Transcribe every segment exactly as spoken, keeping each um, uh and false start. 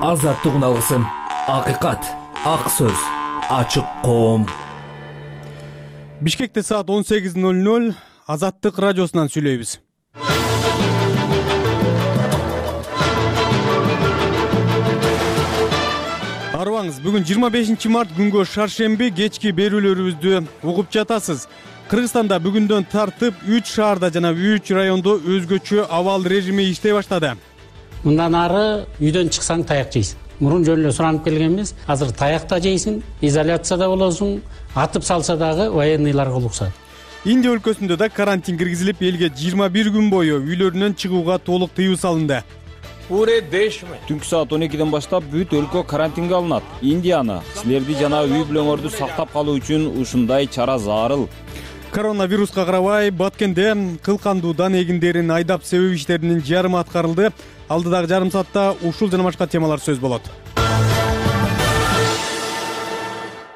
азаттык үналысын, акыйкат, ак сөз, ачык коом. Бишкекте саат он сегиз ноль ноль Азаттык радиосунан сүйлөйбүз. Арыбаңыз, бүгүн жыйырма бешинчи март күнгө шаршемби кечки берүүлөрүбүздү угуп жатасыз. Кыргызстанда бүгүндөн тартып үч шаарда жана үч райондо өзгөчө абал режими иштей баштады. Мындан ары үйдөн чыксаң таяк жейсиң. Мурун жөн эле суранып келгенбиз. Азыр таяк да жейсиң, изоляцияда болосуң, атып салса дагы военныйларга уруксат. Индия өлкөсүндө да карантин киргизилип, элге жыйырма бир күн бою үйлөрүнөн чыгууга толук тыюу салынды. Түнкү саат он экиден баштап бүт өлкө карантинге алынат. Индияны силерди жана үй бүлөңөрдү сактап калуу үчүн ушундай чара зарыл. Коронавируска карабай, Баткенде кылкандуудан эгиндерин айдап себеп иштеринин жарымы аткарылды. Алдыдагы жарым саатта ушул жана башка темалар сөз болот.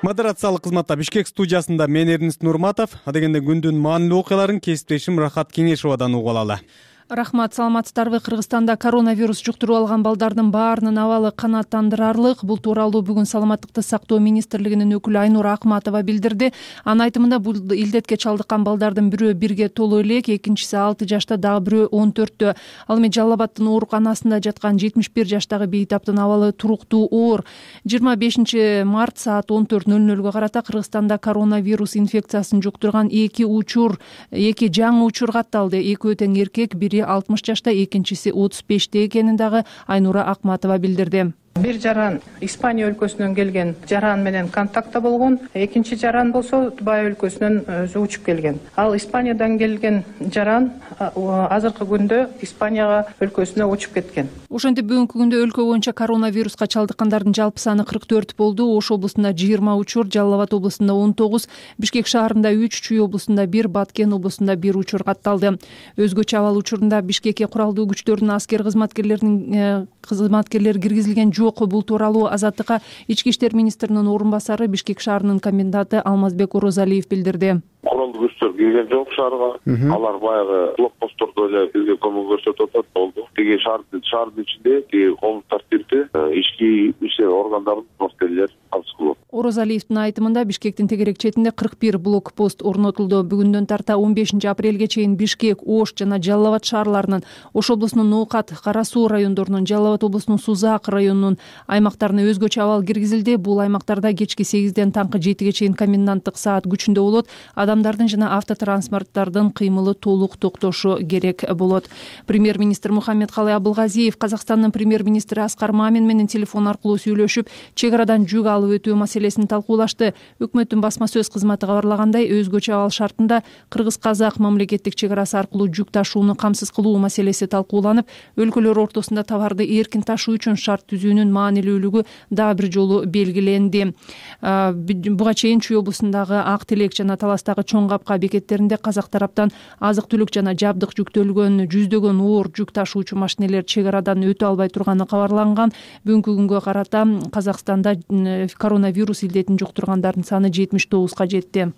Модерациялык кызматта Бишкек студиясында мен Эрнест Нурматов, адегенде күндүн маанилүү окуяларын кесиптешим Рахат Кеңешовадан угуп алалы. Рахмат, саламатсыздарбы? Кыргызстанда коронавирус жуктуруп алган балдардын баарынын абалы канааттандырарлык. Бул тууралуу бүгүн Саламаттыкты сактоо министрлигинин өкүлү Айнура Акматова билдирди. Анын айтымында бул илдетке чалдыккан балдардын бирөө бирге толуу элек, экинчиси алты жашта, дагы бирөө он төрттө. Ал эми Жалал Абадтын ооруканасында жаткан жетимиш бир жаштагы бейтаптын абалы туруктуу оор. жыйырма бешинчи март саат он төрт ноль нөлгө карата Кыргызстанда коронавирус инфекциясын жуктурган эки учур, эки жаңы учур катталды. Экөө тең эркек, бири алтымыш жашта, экинчиси отуз беште экенин дагы Айнура Акматова билдирди. Бир жаран Испания өлкөсүнөн келген жаран менен контактта болгон, экинчи жаран болсо Тубай өлкөсүнөн өзү учуп келген. Ал Испаниядан келген жаран азыркы күндө Испанияга өлкөсүнө учуп кеткен. Ошентип бүгүнкү күндө өлкө боюнча коронавируска чалдыккандардын жалпы саны кырк төрт болду. Ош облусунда жыйырма учур, Жалал Абад облусунда он тогуз, Бишкек шаарында үч, Чүй облусунда бир, Баткен облусунда бир учур катталды. Өзгөчө абал учурунда Бишкекке куралдуу күчтөрдүн аскер кызматкерлеринин кызматкерлери киргизилген жок. Бул тууралуу Азаттыкка ички иштер министринин орун басары, Бишкек шаарынын коменданты Алмазбек Орозалиев билдирди. Куралдуу күчтөр кирген жок шаарга. Алар баягы блокпосттордо эле бизге көмөк көрсөтүп атат болду. Тиги шаардын шаардын ичинде тиги коомдук тартипти ички иштер органдарынын кызматкерлери катышып кылат. Орозалиевдин айтымында Бишкектин тегерек четинде кырк бир блокпост орнотулду. Бүгүндөн тарта он бешинчи апрелге чейин Бишкек, Ош жана Жалал Абад шаарларынын, Ош облусунун Ноокат, Кара Суу райондорунун, Жалал Абад облусунун Сузак районунун аймактарына өзгөчө абал киргизилди. Бул аймактарда кечки сегизден таңкы жетиге чейин коменданттык саат күчүндө болот. Адамдардын жана автотранспорттардын кыймылы толук токтошу керек болот. Премьер-министр Мухаммедкалый Абылгазиев Казакстандын премьер-министри Аскар Мамин менен телефон аркылуу сүйлөшүп, чек арадан жүк алып өтүү маселесин талкуулашты. Өкмөттүн басма сөз кызматы кабарлагандай, өзгөчө абал шартында кыргыз-казак мамлекеттик чек арасы аркылуу жүк ташууну камсыз кылуу маселеси талкууланып, өлкөлөр ортосунда товарды эркин ташуу үчүн шарт түзүүнүн маанилүүлүгү дагы бир жолу белгиленди. Буга чейин Чүй облусундагы Ак Телек жана Таластагы Чоң Капка бекеттеринде казак тараптан азык-түлүк жана жабдык жүктөлгөн жүздөгөн оор жүк ташуучу машинелер чек арадан өтө албай турганы кабарланган. Бүгүнкү күнгө карата Казакстанда коронавирус илдетин жуктургандардын саны жетимиш тогузга жетти.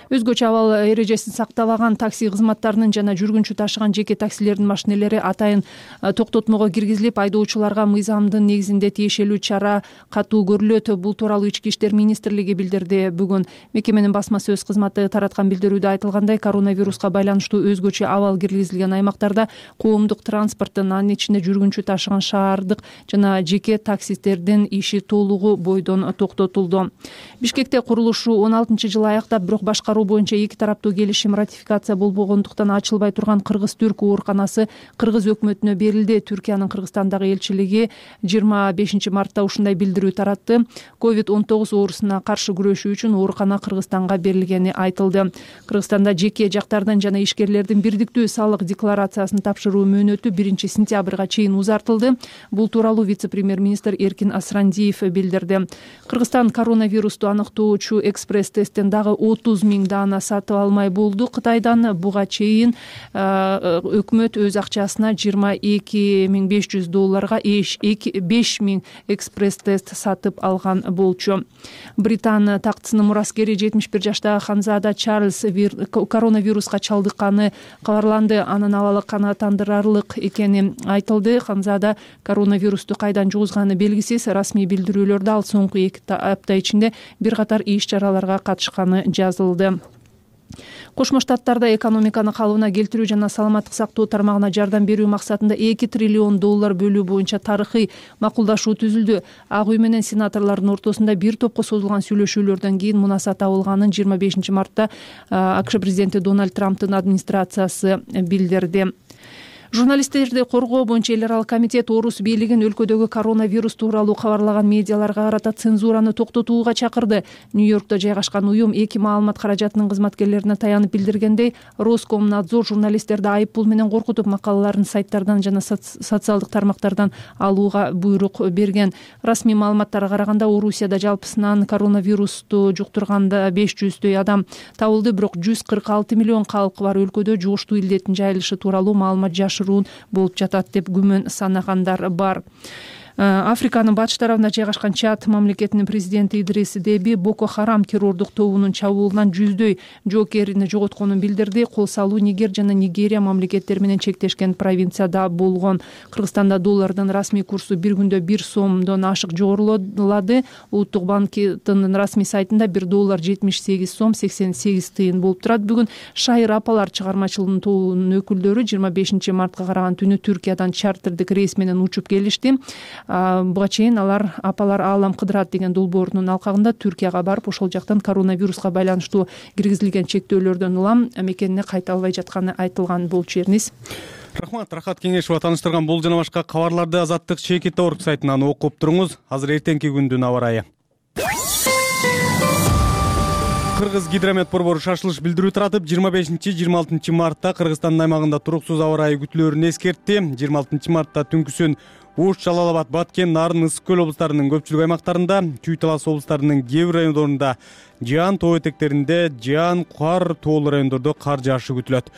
Өзгөчө абал эрежесин сактабаган такси кызматтарынын жана жүргүнчү ташыган жеке таксилердин машинелери атайын токтотмого киргизилип, айдоочуларга мыйзамдын негизинде тиешелүү чара катуу көрүлөт. Бул тууралуу Ички иштер министрлиги билдирди. Бүгүн мекеменин басма сөз кызматы тараткан билдирүүдө айтылгандай, коронавируска байланыштуу өзгөчө абал киргизилген аймактарда коомдук транспорттун, анын ичинде жүргүнчү ташыган шаардык жана жеке таксистердин иши толугу бойдон токтотулду. Бишкекте курулушу он алтынчы жылы аяктап, бирок башка боюнча эки тараптуу келишим ратификация болбогондуктан ачылбай турган Кыргыз-Түрк ооруканасы Кыргыз өкмөтүнө берилди. Түркиянын Кыргызстандагы элчилиги жыйырма бешинчи мартта ушундай билдирүү таратты. ковид он тогуз оорусуна каршы күрөшүү үчүн оорукана Кыргызстанга берилгени айтылды. Кыргызстанда жеке жактардын жана ишкерлердин бирдиктүү салык декларациясын тапшыруу мөөнөтү биринчи сентябрга чейин узартылды. Бул тууралуу вице-премьер-министр Эркин Асрандиев билдирди. Кыргызстан коронавирусту аныктоочу экспресс тесттен дагы отуз миң даана сатып алмай болду Кытайдан. Буга чейин өкмөт өз акчасына жыйырма эки миң беш жүз долларга беш миң экспресс тест сатып алган болчу. Британ тактысынын мураскери жетимиш бир жаштагы ханзада Чарльз коронавируска чалдыкканы кабарланды. Анын абалы канааттандырарлык экени айтылды. Ханзада коронавирусту кайдан жугузганы белгисиз. Расмий билдирүүлөрдө ал соңку эки апта ичинде бир катар иш чараларга катышканы жазылды. Кошмо Штаттарда экономиканы калыбына келтирүү жана саламаттык сактоо тармагына жардам берүү максатында эки триллион доллар бөлүү боюнча тарыхый макулдашуу түзүлдү. Ак үй менен сенаторлордун ортосунда бир топко созулган сүйлөшүүлөрдөн кийин мунаса табылганын жыйырма бешинчи мартта АКШ президенти Дональд Трамптын администрациясы билдирди. Журналисттерди коргоо боюнча эл аралык комитет орус бийлигин өлкөдөгү коронавирус тууралуу кабарлаган медиаларга карата цензураны токтотууга чакырды. Нью-Йоркто жайгашкан уюм эки маалымат каражатынын кызматкерлерине таянып билдиргендей, Роскомнадзор журналисттерди айып пул менен коркутуп макалаларын сайттардан жана социалдык тармактардан алууга буйрук берген. Расмий маалыматтарга караганда Орусияда жалпысынан коронавирусту жуктурганда беш жүздөй адам табылды, бирок жүз кырк алты миллион калкы бар өлкөдө жугуштуу илдеттин жайылышы тууралуу маалымат жашыруун болуп жатат деп күмөн санагандар бар. Африканын батыш тарабында жайгашкан Чад мамлекетинин президенти Идрис Деби Боко Харам террордук тобунун чабуулунан жүздөй жоокерини жоготконун билдирди. Кол салуу Нигер жана Нигерия мамлекеттери менен чектешкен провинцияда болгон. Кыргызстанда доллардын расмий курсу бир күндө бир сомдон ашык жогорулады. Улуттук банктын расмий сайтында бир доллар жетимиш сегиз сом сексен сегиз тыйын болуп турат. Бүгүн Шайыр апалар чыгармачылыгынын тобунун өкүлдөрү жыйырма бешинчи мартка караган түнү Түркиядан чартердик рейс менен учуп келишти. Буга чейин алар апалар Аалам кыдырат деген долбоорунун алкагында Түркияга барып, ошол жактан коронавируска байланыштуу киргизилген чектөөлөрдөн улам мекенине кайта албай жатканы айтылган болчу. Эрниз. Рахмат, Рахат Кеңешова тааныштырган бул жана башка кабарларды Азаттык Чекит орг сайтынан окуп туруңуз. Азыр эртеңки күндүн аба ырайы. Кыргыз гидромет борбору шашылыш билдирүү таратып, жыйырма бешинчи жыйырма алтынчы мартта Кыргызстандын аймагында туруксуз аба ырайы күтүлөөрүн эскертти. жыйырма алтынчы мартта түнкүсүн Ош, Жалал Абад, Баткен, Нарын, Ысык көл облустарынын көпчүлүк аймактарында, Чүй Талас облустарынын кээ бир райондорунда жаан, тоо этектеринде жаан, кар, тоолуу райондордо кар жаашы күтүлөт.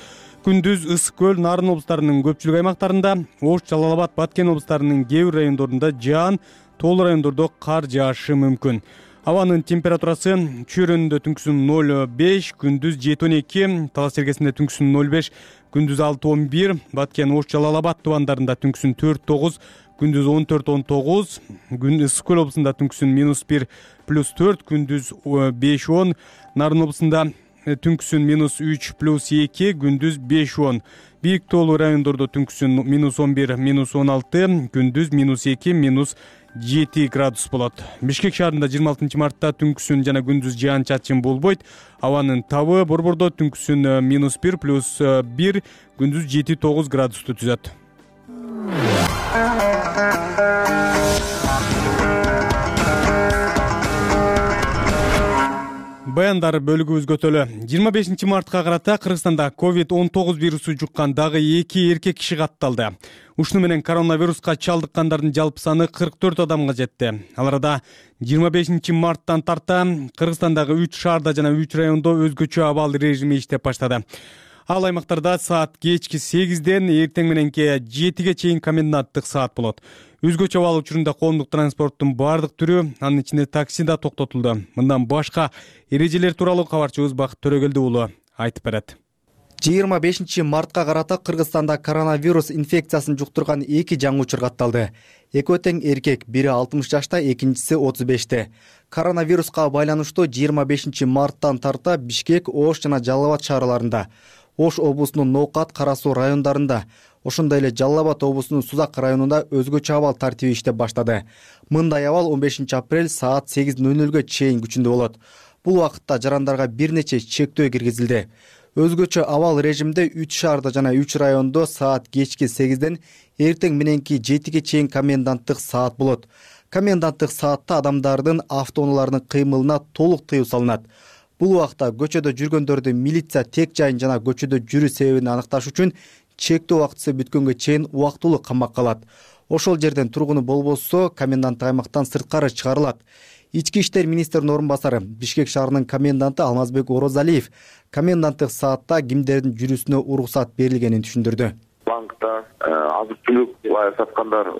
Күндүз Ысык көл, Нарын облустарынын көпчүлүк аймактарында, Ош, Жалал Абад, Баткен облустарынын кээ бир райондорунда жаан, тоолуу райондордо кар жаашы мүмкүн. Абанын температурасы Чүйрөнүндө түнкүсүн ноль беш, күндүз жети он эки, Талас Сергесинде түнкүсүн ноль беш, күндүз алты он бир, Баткен, Ош, Жалал Абад тубандарында түнкүсүн төрт тогуз, күндүз он төрт он тогуз, күн Ысык көл облусунда түнкүсүн минус бир плюс төрт, күндүз беш он, Нарын облусунда түнкүсүн минус үч плюс эки, күндүз беш он. Бийик тоолуу райондордо түнкүсүн минус он бир, минус он алты, күндүз минус эки, минус жети градус болот. Бишкек шаарында жыйырма алтынчы мартта түнкүсүн жана күндүз жаан чачын болбойт. Абанын табы Борбордо түнкүсүн минус бир плюс бир, күндүз жети тогуз градусту түзөт. Баяндар бөлүгүбүз көтөлө. жыйырма бешинчи мартка карата Кыргызстанда ковид он тогуз вирусу жуккан дагы эки эркек киши катталды. Ушуну менен коронавируска чалдыккандардын жалпы саны кырк төрт адамга жетти. Ал арада жыйырма бешинчи марттан тарта Кыргызстандагы үч шаарда жана үч райондо өзгөчө абал режими иштеп баштады. Ал аймактарда саат кечки сегизден эртең мененки жетиге чейин коменданттык саат болот. Өзгөчө абал учурунда коомдук транспорттун баардык түрү, анын ичинде такси да токтотулду. Мындан башка эрежелер тууралуу кабарчыбыз Бакыт Төрөгелди уулу айтып берет. жыйырма бешинчи мартка карата Кыргызстанда коронавирус инфекциясын жуктурган эки жаңы учур катталды. Экөө тең эркек, бири алтымыш жашта, экинчиси отуз беште. Коронавируска байланыштуу жыйырма бешинчи марттан тарта Бишкек, Ош жана Жалал Абад шаарларында, Ош облусунун Ноокат, Кара Суу райондарында, ошондой эле Жалал Абад облусунун Сузак районунда өзгөчө абал тартиби иштеп баштады. Мындай абал он бешинчи апрель саат сегиз ноль нөлгө чейин күчүндө болот. Бул убакытта жарандарга бир нече чектөө киргизилди. Өзгөчө абал режимде үч шаарда жана үч райондо саат кечки сегизден эртең мененки жетиге чейин коменданттык саат болот. Коменданттык саатта адамдардын автоунааларынын кыймылына толук тыюу салынат. Бул убакта көчөдө жүргөндөрдү милиция тек жайын жана көчөдө жүрүү себебин аныкташ үчүн чектөө убактысы бүткөнгө чейин убактылуу камакка алат. Ошол жерден тургуну болбосо коменданттык аймактан сырткары чыгарылат. Ички иштер министринин орун басары Бишкек шаарынын коменданты Алмазбек Орозалиев коменданттык саатта кимдердин жүрүүсүнө уруксат берилгенин түшүндүрдү. Банкта азык түлүк саткандар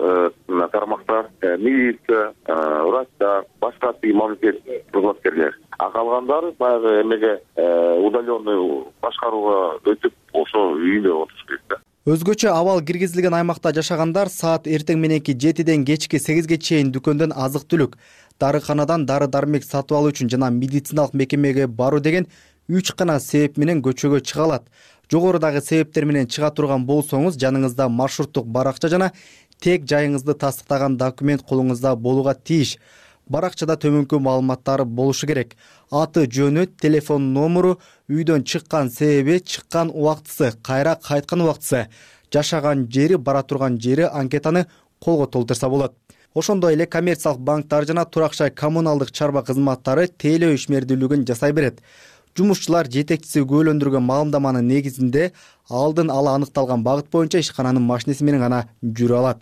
тармактар, милиция, врачтар, башка мамлекет кызматкерлер. А калгандары баягы эмеге удаленный башкарууга өтүп, ошо үйүндө отуруш керек. Өзгөчө абал киргизилген аймакта жашагандар саат эртең мененки жетиден кечки сегизге чейин дүкөндөн азык түлүк, дарыканадан дары дармек сатып алуу үчүн жана медициналык мекемеге баруу деген үч гана себеп менен көчөгө чыга алат. Жогорудагы себептер менен чыга турган болсоңуз, жаныңызда маршруттук баракча жана тек жайыңызды тастыктаган документ колуңузда болууга тийиш. Баракчада төмөнкү маалыматтары болушу керек. Аты, жөнү, телефон номеру, үйдөн чыккан себеби, чыккан убактысы, кайра кайткан убактысы, жашаган жери, бара турган жери анкетаны колго толтурса болот. Ошондой эле коммерциялык банктар жана турак жай коммуналдык чарба кызматтары тейлөө ишмердүүлүгүн жасай берет. Жумушчулар жетекчиси күбөлөндүргөн маалымдаманын негизинде алдын ала аныкталган багыт боюнча ишкананын машинеси менен гана жүрө алат.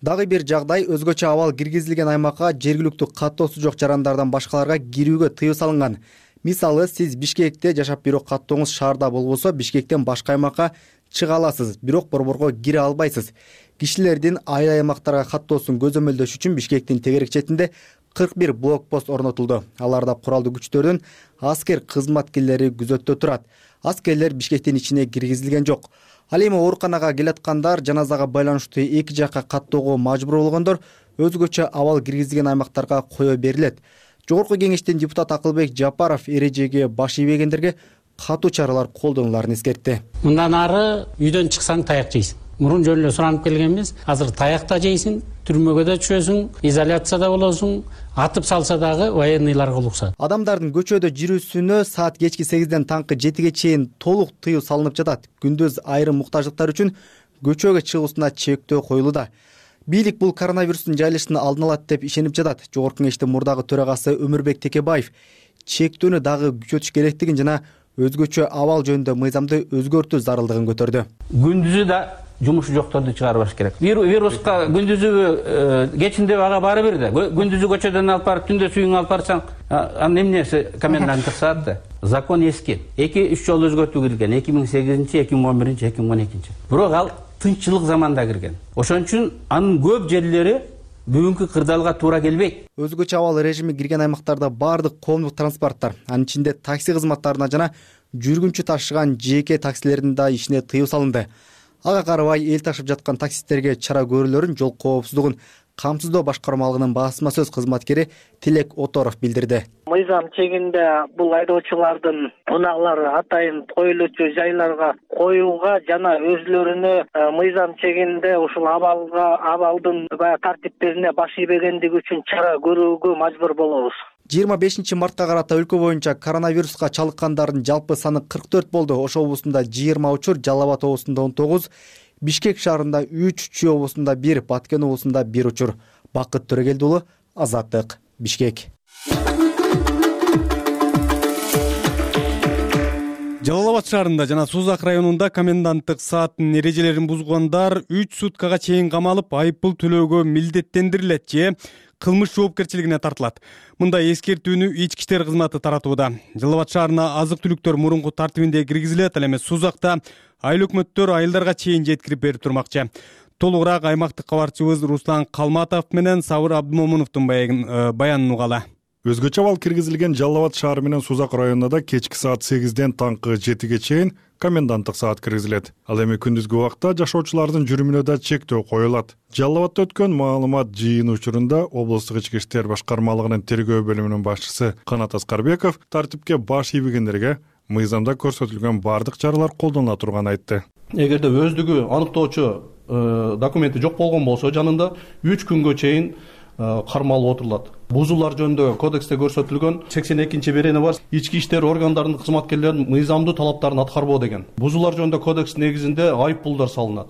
Дагы бир жагдай, өзгөчө абал киргизилген аймакка жергиликтүү каттоосу жок жарандардан башкаларга кирүүгө тыюу салынган. Мисалы, сиз Бишкекте жашап, бирок каттооңуз шаарда болбосо, Бишкектен башка аймакка чыга аласыз, бирок борборго кире албайсыз. Кишилердин айыл аймактарга каттоосун көзөмөлдөш үчүн Бишкектин тегерек четинде кырк бир блокпост орнотулду. Аларда куралдуу күчтөрдүн аскер кызматкерлери күзөттө турат. Аскерлер Бишкектин ичине киргизилген жок. Ал эми ооруканага келаткандар, жаназага байланыштуу эки жакка каттоого мажбур болгондор өзгөчө абал киргизилген аймактарга кое берилет. Жогорку кеңештин депутаты Акылбек Жапаров эрежеге баш ийбегендерге катуу чаралар колдонуларын эскертти. Мындан ары үйдөн чыксаң таяк жейсиң. Мурун жөн эле суранып келгенбиз. Азыр таякта жейсиң, түрмөгө да түшөсүң, изоляцияда болосуң, атып салса дагы военныйларга уруксат. Адамдардын көчөдө жүрүүсүнө саат кечки сегизден таңкы жетиге чейин толук тыюу салынып жатат. Күндүз айрым муктаждыктар үчүн көчөгө чыгуусуна чектөө коюлууда. Бийлик бул коронавирустун жайылышын алдын алат деп ишенип жатат. Жогорку кеңештин мурдагы төрагасы Өмүрбек Текебаев чектөөнү дагы күчөтүш керектигин жана өзгөчө абал жөнүндө мыйзамды өзгөртүү зарылдыгын көтөрдү. Күндүзү да жумушу жокторду чыгарбаш керек. Вируска күндүзү кечинде ага баары бир да. Күндүзү көчөдөн алып барып, түндө сүйүңө алып барсаң, анын эмнеси коменданттык саат да. Закон эски. эки үч жолу өзгөртүү кирген. эки миң сегизинчи, эки миң он биринчи, эки миң он экинчи. Бирок ал тынччылык заманда кирген. Ошон үчүн анын көп жерлери бүгүнкү кырдаалга туура келбейт. Өзгөчө абал режими кирген аймактарда баардык коомдук транспорттор, анын ичинде такси кызматтарына жана жүргүнчү ташыган жеке таксилердин да ишине тыюу салынды. Ага карабай эл ташып жаткан таксисттерге чара көрүүлөрүн жол коопсуздугун камсыздоо башкармалыгынын басма сөз кызматкери Тилек Оторов билдирди. Мыйзам чегинде бул айдоочулардын унаалары атайын коюлуучу жайларга коюуга жана өзлөрүнө мыйзам чегинде ушул абалга абалдын баягы тартиптерине баш ийбегендиги үчүн чара көрүүгө мажбур болобуз. жыйырма бешинчи мартка карата өлкө боюнча коронавируска чалыккандардын жалпы саны кырк төрт болду. Ош облусунда жыйырма учур, Жалал Абад облусунда он тогуз, Бишкек шаарында үч, Чүй облусунда бир, Баткен облусунда бир учур. Бакыт Төрөгелди уулу, Азаттык, Бишкек. Жалал Абад шаарында жана Сузак районунда коменданттык сааттын эрежелерин бузгандар үч суткага чейин камалып, айыппул төлөөгө милдеттендирилет же кылмыш жоопкерчилигине тартылат. Мындай эскертүүнү ички иштер кызматы таратууда. Жалал Абад шаарына азык-түлүктөр мурунку тартибинде киргизилет, ал эми Сузакта айыл өкмөттөр айылдарга чейин жеткирип берип турмакчы. Толугураак аймактык кабарчыбыз Руслан Калматов менен Сабыр Абдымомуновдун баянын угалы. Өзгөчө абал киргизилген Жалал Абад шаары менен Сузак районунда кечки саат сегизден таңкы жетиге чейин коменданттык саат киргизилет. Ал эми күндүзгү убакта жашоочулардын жүрүмүнө да чектөө коюлат. Жалал Абадта өткөн маалымат жыйыны учурунда облустук ички иштер башкармалыгынын тергөө бөлүмүнүн башчысы Канат Аскарбеков тартипке баш ийбегендерге мыйзамда көрсөтүлгөн бардык чаралар колдонула турганын айтты. Эгерде өздүгү аныктоочу документи жок болгон болсо, жанында үч күнгө чейин кармалып отурулат. Бузуулар жөнүндө кодексте көрсөтүлгөн сексен экинчи берени бар. Ички иштер органдарынын кызматкерлеринин мыйзамдуу талаптарын аткарбоо деген. Бузуулар жөнүндө кодекс негизинде айыппулдар салынат.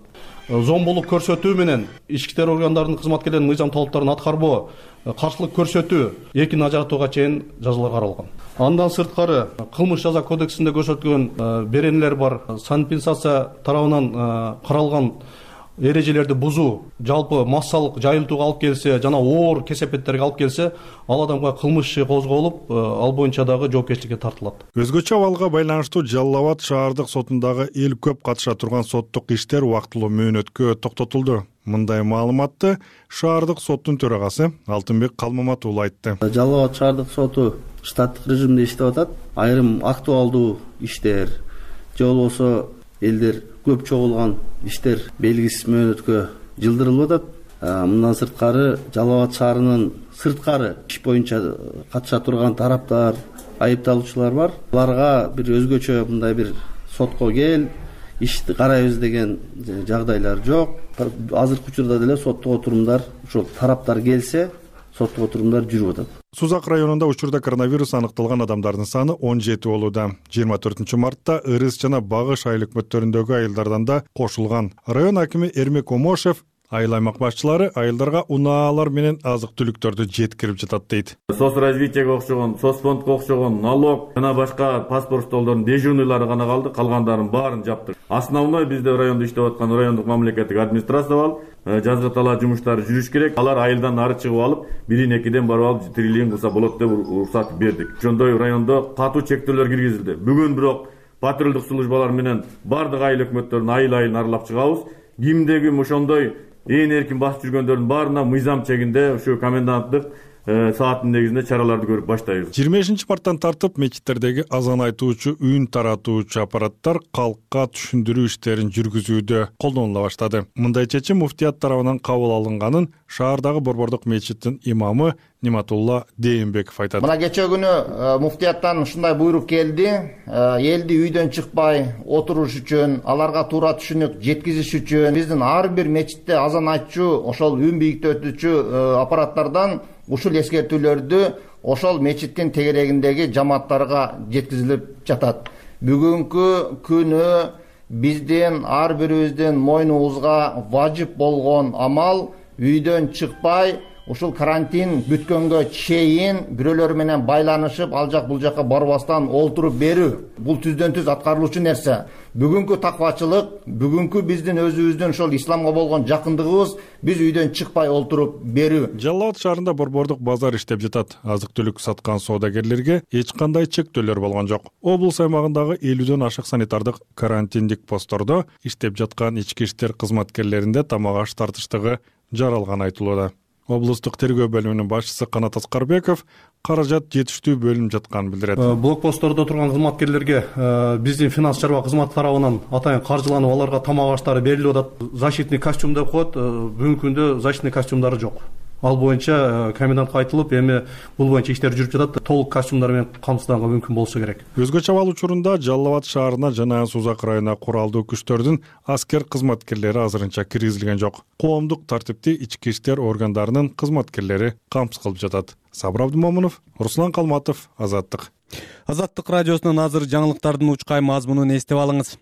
Зомбулук көрсөтүү менен ички иштер органдарынын кызматкерлеринин мыйзам талаптарын аткарбоо, каршылык көрсөтүү экини ажыратууга чейин жазалар каралган. Андан сырткары кылмыш жаза кодексинде көрсөтүлгөн беренелер бар. Санэпидстанция тарабынан каралган эрежелерди бузуу жалпы массалык жайылтууга алып келсе жана оор кесепеттерге алып келсе, ал адамга кылмыш иши козголуп, ал боюнча дагы жоопкерчиликке тартылат. Өзгөчө абалга байланыштуу Жалал Абад шаардык сотундагы эл көп катыша турган соттук иштер убактылуу мөөнөткө токтотулду. Мындай маалыматты шаардык соттун төрагасы Алтынбек Калмамат уулу айтты. Жалал Абад шаардык соту штаттык режимде иштеп атат. Айрым актуалдуу иштер же болбосо элдер көп чогулган иштер белгисиз мөөнөткө жылдырылып атат. Мындан сырткары Жалал Абад шаарынын сырткары иш боюнча катыша турган тараптар, айыпталуучулар бар. Аларга бир өзгөчө мындай бир сотко кел, ишти карайбыз деген жагдайлар жок. Азыркы учурда деле соттук отурумдар ошол тараптар келсе, соттук отурумдар жүрүп атат. Сузак районунда учурда коронавирус аныкталган адамдардын саны он жети болууда. жыйырма төртүнчү мартта Ырыс жана Багыш айыл өкмөттөрүндөгү айылдардан да кошулган. Район акими Эрмек Омошев айыл аймак башчылары айылдарга унаалар менен азык-түлүктөрдү жеткирип жатат дейт. Соцразвитиеге окшогон, соцфондко окшогон, налог жана башка паспорт столдордун дежурныйлары гана калды, калгандарын баарын жаптык. Основной бизде райондо иштеп аткан райондук мамлекеттик администрация бар. Жазгы талаа жумуштары жүрүш керек. Алар айылдан ары чыгып алып, бирин экиден барып алып тирилген кылса болот деп уруксат бердик. Ошондой райондо катуу чектөөлөр киргизилди. Бүгүн бирок патрулдук службалар менен бардык айыл өкмөттөрүн айыл-айыл аралап чыгабыз. Кимде ким ошондой ээн эркин басып жүргөндөрдүн баарына мыйзам чегинде ушу коменданттык сааттын негизинде чараларды көрүп баштайбыз. жыйырма бешинчи марттан тартып мечиттердеги азан айтуучу, үн таратуучу аппараттар калкка түшүндүрүү иштерин жүргүзүүдө колдонула баштады. Мындай чечим муфтият тарабынан кабыл алынганын шаардагы Борбордук мечиттин имамы Ниматулла Дейинбеков айтат. Мына кече күнү муфтияттан ушундай буйрук келди. Элди үйдөн чыкпай отуруш үчүн, аларга туура түшүнүк жеткизиш үчүн биздин ар бир мечитте азан айтчу, ошол үн бийиктетүүчү аппараттардан ушул эскертүүлөрдү ошол мечиттин тегерегиндеги жамааттарга жеткизилип жатат. Бүгүнкү күнү биздин ар бирибиздин мойнубузга важип болгон амал үйдөн чыкпай ушул карантин бүткөнгө чейин бирөөлөр менен байланышып, ал жак бул жакка барбастан олтуруп берүү. Бул түздөн түз аткарылуучу нерсе. Бүгүнкү таквачылык, бүгүнкү биздин өзүбүздүн ошол исламга болгон жакындыгыбыз биз үйдөн чыкпай олтуруп берүү. Жалал Абад шаарында Борбордук базар иштеп жатат. Азык-түлүк саткан соодагерлерге эч кандай чектөөлөр болгон жок. Облус аймагындагы элүүдөн ашык санитардык карантиндик посттордо иштеп жаткан ички иштер кызматкерлеринде тамак аш тартыштыгы жаралганы айтылууда. Облустук тергөө бөлүмүнүн башчысы Канат Аскарбеков каражат жетиштүү бөлүнүп жатканын билдирет. Блокпосттордо турган кызматкерлерге биздин финанс чарба кызматы тарабынан атайын каржыланып, аларга тамак аштары берилип атат. Защитный костюм деп коет. Бүгүнкү күндө защитный костюмдары жок. Ал боюнча комендантка айтылып, эми бул боюнча иштер жүрүп жатат. Толук костюмдар менен камсызданга мүмкүн болсо керек. Өзгөчө абал учурунда Жалал Абад шаарына жана Сузак районуна куралдуу күчтөрдүн аскер кызматкерлери азырынча киргизилген жок. Коомдук тартипти ички иштер органдарынын кызматкерлери камсыз кылып жатат. Сабыр Абдымомунов, Руслан Калматов, Азаттык. Азаттык радиосунун азыр жаңылыктардын учкай мазмунун эстеп алыңыз.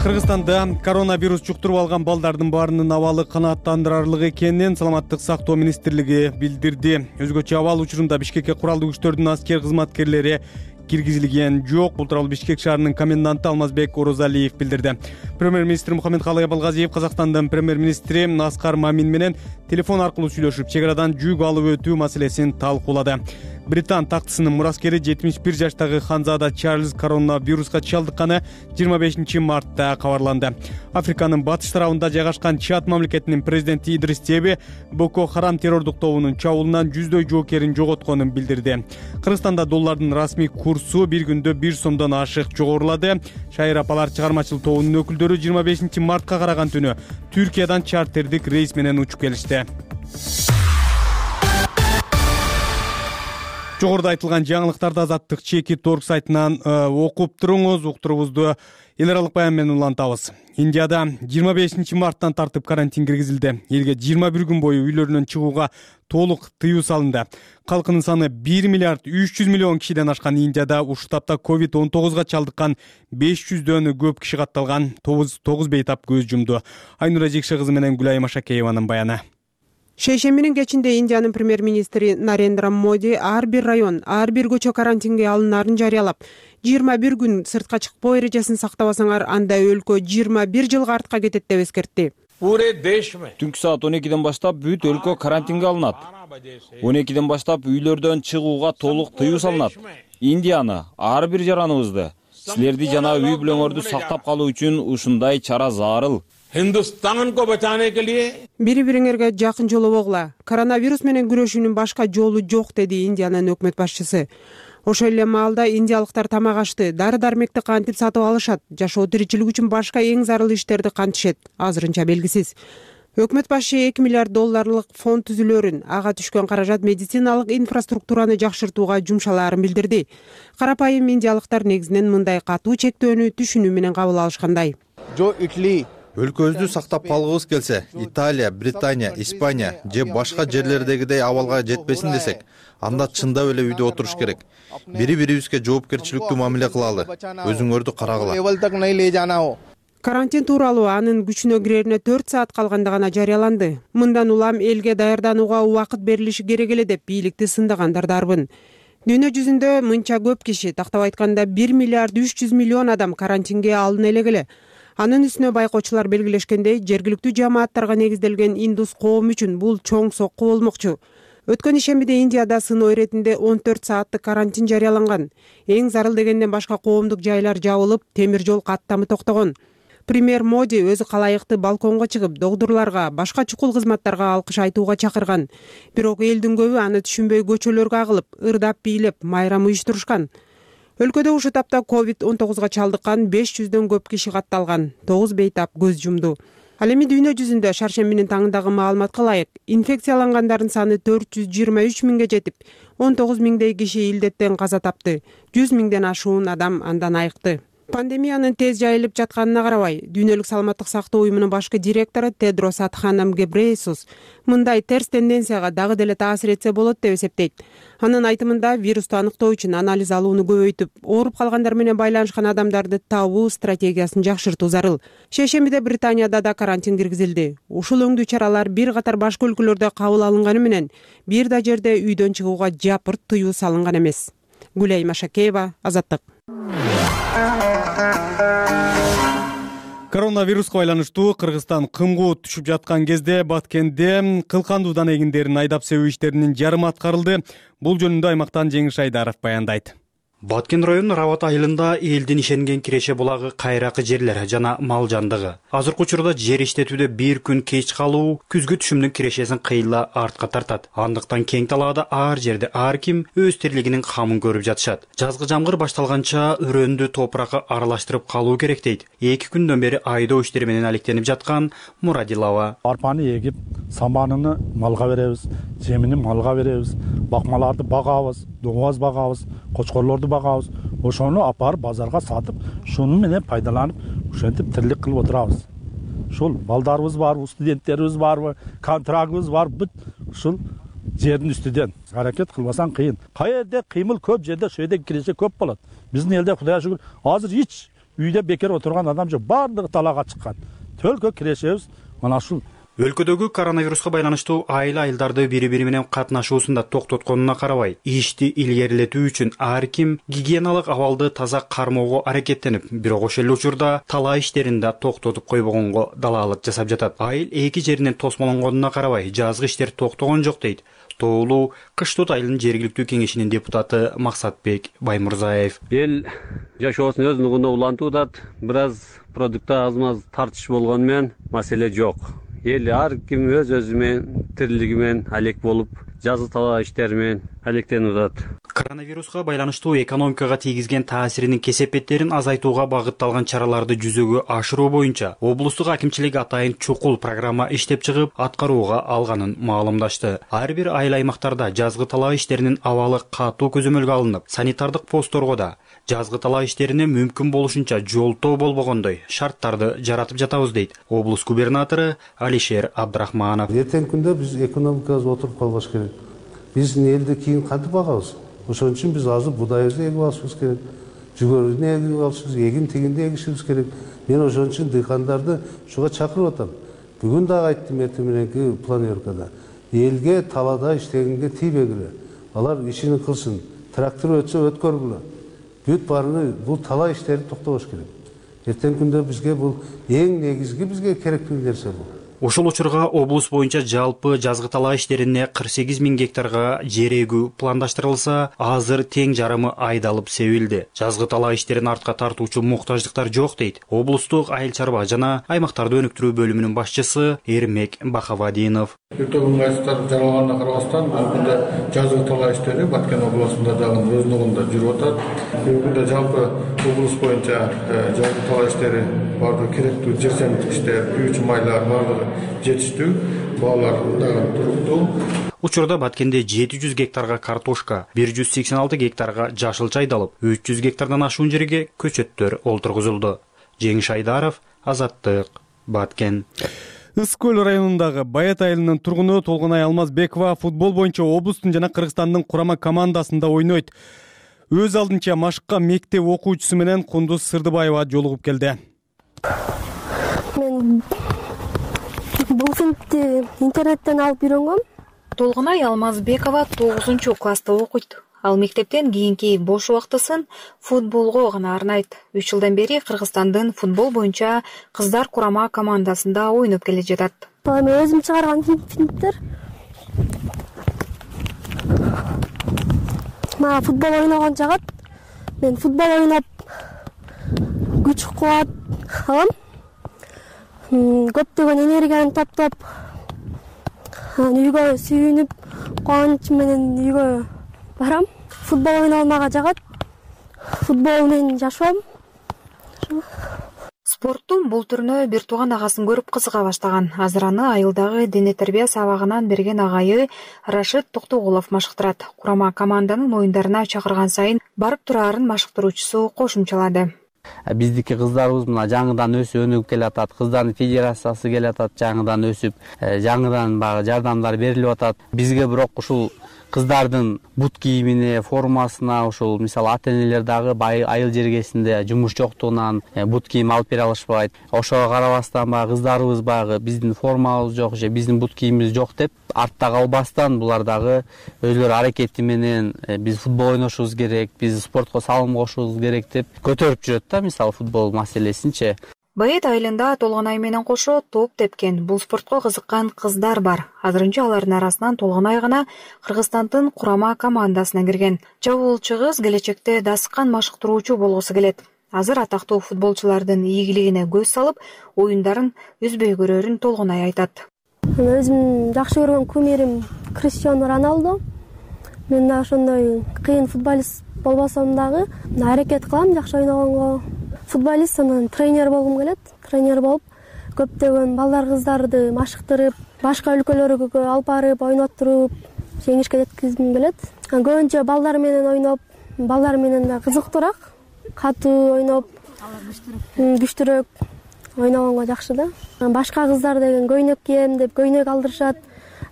Кыргызстанда коронавирус жуктуруп алган балдардын баарынын абалы канааттандырарлык экенин Саламаттык сактоо министрлиги билдирди. Өзгөчө абал учурунда Бишкекке куралдуу күчтөрдүн аскер кызматкерлери киргизилген жок. Бул тууралуу Бишкек шаарынын коменданты Алмазбек Орозалиев билдирди. Премьер-министр Мухаммедкалый Абылгазиев Казакстандын премьер-министри Аскар Мамин менен телефон аркылуу сүйлөшүп, чек арадан жүк алып өтүү маселесин талкуулады. Британ тактысынын мураскери жетимиш бир жаштагы Ханзада Чарльз коронавируска чалдыкканы жыйырма бешинчи мартта кабарланды. Африканын батыш тарабында жайгашкан Чад мамлекетинин президенти Идрис Деби Боко Харам террордук тобунун чабуулунан жүздөй жоокерин жоготконун билдирди. Кыргызстанда доллардын расмий курсу бир күндө бир сомдон ашык жогорулады. Шайыр апалар чыгармачыл тобунун өкүлдөрү жыйырма бешинчи мартка караган түнү Түркиядан чартердик рейс менен учуп келишти. Жогоруда айтылган жаңылыктарды Азаттык чеки торг сайтынан окуп туруңуз. Уктурубузду эл аралык баян менен улантабыз. Индияда жыйырма бешинчи марттан тартып карантин киргизилди. Элге жыйырма бир күн бою үйлөрүнөн чыгууга толук тыюу салынды. Калкынын саны бир миллиард үч жүз миллион кишиден ашкан Индияда ушул тапта ковид он тогузга чалдыккан беш жүздөн көп киши катталган. тогуз бейтап көз жумду. Айнура Жекше кызы менен Гүлайым Ашакееванын баяны. Шейшембинин кечинде Индиянын премьер-министри Нарендра Моди ар бир район, ар бир көчө карантинге алынаарын жарыялап, жыйырма бир күн сыртка чыкпоо эрежесин сактабасаңар, анда өлкө жыйырма бир жылга артка кетет деп эскертти. Түнкү саат он экиден баштап бүт өлкө карантинге алынат. он экиден баштап үйлөрдөн чыгууга толук тыюу салынат. Индияны, ар бир жараныбызды, силерди жана үй бүлөңөрдү сактап калуу үчүн ушундай чара зарыл. Бири-бириңерге жакын жолобогула. Коронавирус менен күрөшүүнүн башка жолу жок, деди Индиянын өкмөт башчысы. Ошол эле маалда индиялыктар тамак ашты, дары-дармекти кантип сатып алышат, жашоо тиричилик үчүн башка эң зарыл иштерди кантишет, азырынча белгисиз. Өкмөт башы эки миллиард долларлык фонд түзүлөрүн, ага түшкөн каражат медициналык инфраструктураны жакшыртууга жумшалаарын билдирди. Карапайым индиялыктар негизинен мындай катуу чектөөнү түшүнүү менен кабыл алышкандай. Өлкөбүздү сактап калгыбыз келсе, Италия, Британия, Испания же башка жерлердегидей абалга жетпесин десек, анда чындап эле үйдө отуруш керек. Бири-бирибизге жоопкерчиликтүү мамиле кылалы, өзүңөрдү карагыла. Карантин тууралуу анын күчүнө кирерине төрт саат калганда гана жарыяланды. Мындан улам элге даярданууга убакыт берилиши керек эле деп бийликти сындагандардарбын. Дүйнө жүзүндө мынча көп киши, тактап айтканда бир миллиард үч жүз миллион адам карантинге алына элек эле. Анын үстүнө байкоочулар белгилешкендей, жергиликтүү жамааттарга негизделген индус коом үчүн бул чоң сокку болмокчу. Өткөн ишембиде Индияда сыноо иретинде он төрт сааттык карантин жарыяланган. Эң зарыл дегенден башка коомдук жайлар жабылып, темир жол каттамы токтогон. Премьер Моди өзү калайыкты балконго чыгып, догдурларга, башка чукул кызматтарга алкыш айтууга чакырган. Бирок элдин көбү аны түшүнбөй көчөлөргө агылып, ырдап бийлеп, майрам уюштурушкан. Өлкөдө ушул тапта ковид он тогузга чалдыккан беш жүздөн көп киши катталган, тогуз бейтап көз жумду. Ал эми дүйнө жүзүндө шаршембинин таңындагы маалыматка ылайык, инфекциялангандардын саны төрт жүз жыйырма үч миңге жетип, он тогуз миңдей киши илдеттен каза тапты, жүз миңден ашуун адам андан айыкты. Пандемиянын тез жайылып жатканына карабай, Дүйнөлүк саламаттык сактоо уюмунун башкы директору Тедрос Адханам Гебрейесус мындай терс тенденцияга дагы деле таасир этсе болот деп эсептейт. Анын айтымында, вирусту аныктоо үчүн анализ алууну көбөйтүп, ооруп калгандар менен байланышкан адамдарды табуу стратегиясын жакшыртуу зарыл. Шейшембиде Британияда да карантин киргизилди. Ушул өңдүү чаралар бир катар башка өлкөлөрдө кабыл алынганы менен, бир да жерде үйдөн чыгууга жапырт тыюу салынган эмес. Гүлей Машакеева, Азаттык. Коронавируска байланыштуу Кыргызстан кымгуу түшүп жаткан кезде Баткенде кылкандуудан эгиндерин айдап себүү иштеринин жарымы аткарылды. Бул жөнүндө аймактан Жеңиш Айдаров баяндайт. Баткен районунун Рават айылында элдин ишенген киреше булагы, кайракы жерлер жана мал жандыгы. Азыркы учурда жер иштетүүдө бир күн кеч калуу күзгү түшүмдүн кирешесин кыйла артка тартат. Андыктан кең талаада ар жерде ар ким өз тирлигинин камын көрүп жатышат. Жазгы жамгыр башталганча өрөөндү топуракка аралаштырып калуу керек дейт. эки күндөн бери айдоо иштери менен алектенип жаткан Мурадилова. Арпаны эгип, саманын малга беребиз, жемини малга беребиз, бакмаларды багабыз, доңоз багабыз, кочкорлорду багабыз. Ошону апарып базарга сатып, шуну менен пайдаланып, ушентип тирлик кылып отурабыз. Ушул балдарыбыз барбы, студенттерибиз барбы, контрагыбыз бар, бүт ушул жердин үстүдөн аракет кылбасаң кыйын. Кай жерде кыймыл көп жерде ошол жерде киреше көп болот. Биздин элде Кудайга шүгүр, азыр эч үйдө бекер отурган адам жок, баардыгы талаага чыккан. Төлкө кирешебиз мына ушул. Өлкөдөгү коронавируска байланыштуу айыл айылдарды бири-бири менен катнашуусунда токтотконуна карабай, ишти илгерилетүү үчүн ар ким гигиеналык абалды таза кармоого аракеттенип, бирок ошол эле учурда талаа иштерин да токтотуп койбогонго далаалык жасап жатат. Айыл эки жеринен тосмолонгонуна карабай, жазгы иштер токтогон жок дейт Тоолуу Кыштут айылынын жергиликтүү кеңешинин депутаты Максатбек Баймурзаев. Эл жашоосун өз нугуна улантуудат, бир аз продуктта аз-маз тартыш болгону менен маселе жок. Эл ар ким өз өзү менен тирилиги менен алек болуп, жазгы талаа иштери менен алектенип атат. Коронавируска байланыштуу экономикага тийгизген таасиринин кесепеттерин азайтууга багытталган чараларды жүзөгө ашыруу боюнча облустук акимчилик атайын чукул программа иштеп чыгып, аткарууга алганын маалымдашты. Ар бир айыл аймактарда жазгы талаа иштеринин абалы катуу көзөмөлгө алынып, санитардык постторго да жазгы талаа иштерине мүмкүн болушунча жолтоо болбогондой шарттарды жаратып жатабыз дейт облус губернатору Алишер Абдрахманов. Эртең күндө биз экономикабыз отуруп калбаш керек. Биздин элди кийин кантип багабыз? Ошон үчүн биз азыр будайыбызды эгип алышыбыз керек. Жүгөрүнү эгип алышыбыз, эгин тигинди эгишибиз керек. Мен ошон үчүн дыйкандарды ушуга чакырып атам. Бүгүн дагы айттым эртең мененки планеркада. элге талаада иштегенге тийбегиле. Алар ишин кылсын. Трактор өтсө өткөргүлө. Бүт баарыны бул талаа иштери токтобош керек. Эртең күндө бизге бул эң негизги бизге керектүү нерсе бул. Ошол учурга облус боюнча жалпы жазгы талаа иштерине кырк сегиз миң гектарга жер эгүү пландаштырылса, азыр тең жарымы айдалып себилди. Жазгы талаа иштерин артка тартуучу муктаждыктар жок дейт облустук айыл чарба жана аймактарды өнүктүрүү бөлүмүнүн башчысы Эрмек Бахавадинов. Өтө ыңгайсыздар жаралганына карабастан, бүгүндө жазгы талаа иштери Баткен областында дагы өз ногунда жүрүп атат. Бүгүндө жалпы облус боюнча жазгы талаа иштери бардыгы керектүү жер семиндик иштер, күйүүчү майлар бардыгы жетиштүү, баалар дагы туруктуу. Учурда Баткенде жети жүз гектарга картошка, бир жүз сексен алты гектарга жашылча айдалып, үч жүз гектардан ашуун жерге көчөттөр олтургузулду. Жеңиш Айдаров, Азаттык, Баткен. Ысык көл районундагы Баят айылынын тургуну Толгонай Алмазбекова футбол боюнча облустун жана Кыргызстандын курама командасында ойнойт. Өз алдынча машыкка мектеп окуучусу менен Кундуз Сырдыбаева жолугуп келди. Мен бул фильмди интернеттен алып үйрөнгөм. Толгонай Алмазбекова тогузунчу класста окуйт. Ал мектептен кийинки бош убактысын футболго гана арнайт. үч жылдан бери Кыргызстандын футбол боюнча кыздар курама командасында ойноп келе жатат. Мен өзүм чыгарган фильмдер. Мага футбол ойногон жагат. Мен футбол ойноп күч кубат алам. Көптөгөн энергияны таптап, үйгө сүйүнүп, кубаныч менен үйгө барам. Футбол ойноо мага жагат. Футбол менен жашоом. Спорттун бул түрүнө бир тууган агасын көрүп кызыга баштаган. Азыр аны айылдагы дене тарбия сабагынан берген агайы Рашид Токтогулов машыктырат. Курама команданын оюндарына чакырган сайын барып турарын машыктыруучусу кошумчалады. Биздики кыздарыбыз мына жаңыдан өсүп өнүгүп келатат. Кыздардын федерациясы келатат, жаңыдан өсүп, жаңыдан багы жардамдар берилип атат. Бизге бирок ушул кыздардын бут кийимине, формасына ушул мисалы ата-энелер дагы айыл жергесинде жумуш жоктугунан бут кийим алып бере алышпайт. Ошого карабастан багы кыздарыбыз багы биздин формабыз жок же биздин бут кийимибиз жок деп артта калбастан булар дагы өзлөрү аракети менен биз футбол ойношубуз керек, биз спортко салым кошушубуз керек деп көтөрүп жүрөт да, мисалы футбол маселесинчи. Баят айылында Толгонай менен кошо топ тепкен, бул спортко кызыккан кыздар бар. Азырынча алардын арасынан Толгонай гана Кыргызстандын курама командасына кирген. Чабуулчу кыз келечекте дасыккан машыктыруучу болгусу келет. Азыр атактуу футболчулардын ийгилигине көз салып, оюндарын үзбөй көрөрүн Толгонай айтат. Өзүм жакшы көргөн кумирим Криштиану Роналдо. Мен да ошондой кыйын футболист болбосом дагы аракет кылам жакшы ойногонго. Футболист, анан тренер болгум келет. Тренер болуп, көптөгөн балдар кыздарды машыктырып, башка өлкөлөргө алып барып, ойноттуруп, жеңишке жеткизгим келет. Көбүнчө балдар менен ойноп, балдар менен да кызыктуураак, катуу ойноп, күчтүүрөөк ойногонго жакшы да. Башка кыздар деген көйнөк кийем деп көйнөк алдырышат.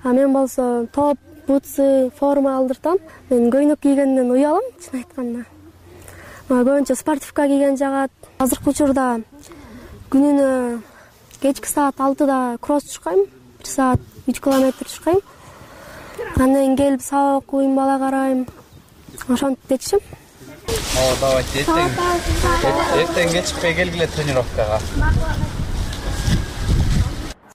А мен болсо топ, бутсы, форма алдыртам. Мен көйнөк кийгенден уялам, чын айтканда. Көбүнчө спортивка кийген жагат. Азыркы учурда күнүнө кечки саат алтыда кросс чуркайм, бир саат үч километр чуркайм. Андан кийин келип сабак окуйм, бала карайм. Ошентип кетишим. О, давайте эртең. Эртең кечикпей келгиле тренировкага.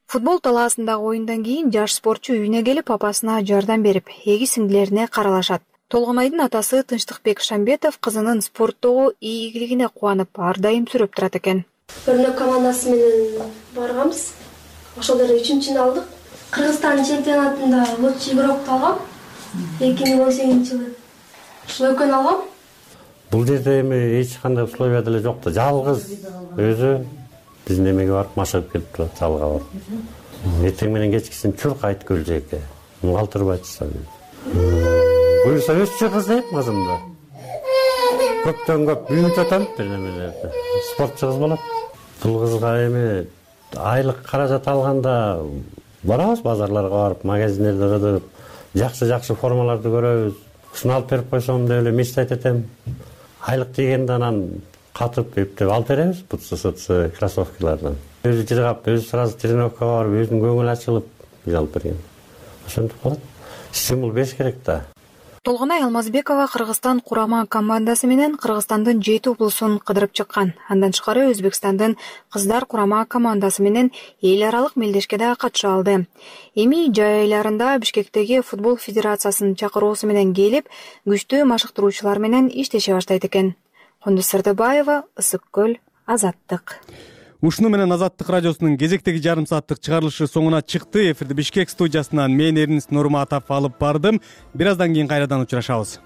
Футбол талаасындагы оюндан кийин жаш спортчу үйүнө келип апасына жардам берип, эги сиңдилерине каралашат. Толгонайдын атасы Тынчтыкбек Шамбетов кызынын спорттогу ийгилигине кубанып, ар дайым сүрөп турат экен. Өрнөк командасы менен барганбыз. Ошол жерде үчүнчүнү алдык. Кыргызстан чемпионатында лучший игрокду алгам. эки миң он сегизинчи жылы. Ушул экөөнү алгам. Бул жерде эми эч кандай условия деле жок да, жалгыз өзү биздин эмеге барып машыгып келип турат, залга барып. Эртең менен кечкисин чуркайт көл жээкке. Калтырбайт чыгат. Буюрса өсчү кыз дейм кызымды. Көптөн көп büyüt атам бир немелерди. Спортчу кыз болот. Бул кызга эми айлык каражат алганда барабыз базарларга барып, магазиндерде кыдырып, жакшы-жакшы формаларды көрөбүз. Ушуну алып берип койсом деп эле мечтать этем. Айлык дегенде анан катып эптеп алып беребиз, бутсы-сутсы, кроссовкалардан. Өзү жыргап, өзү сразу тренировкага барып, өзүнүн көңүлү ачылып биз алып берген. ошентип болот. Стимул бериш керек да. Толгонай Алмазбекова Кыргызстан курама командасы менен Кыргызстандын жети облусун кыдырып чыккан. Андан тышкары Өзбекстандын кыздар курама командасы менен эл аралык мелдешке катыша алды. Эми жай айларында Бишкектеги футбол федерациясынын чакыруусу менен келип, күчтүү машыктыруучулар менен иштеше баштайт экен. Кундуз Сырдыбаева, Ысык көл, Азаттык. Ушуну менен Азаттык радиосунун кезектеги жарым сааттык чыгарылышы соңуна чыкты. Эфирди Бишкек студиясынан мен Эрнис Нурматов алып бардым. Бир аздан кийин кайрадан учурашабыз.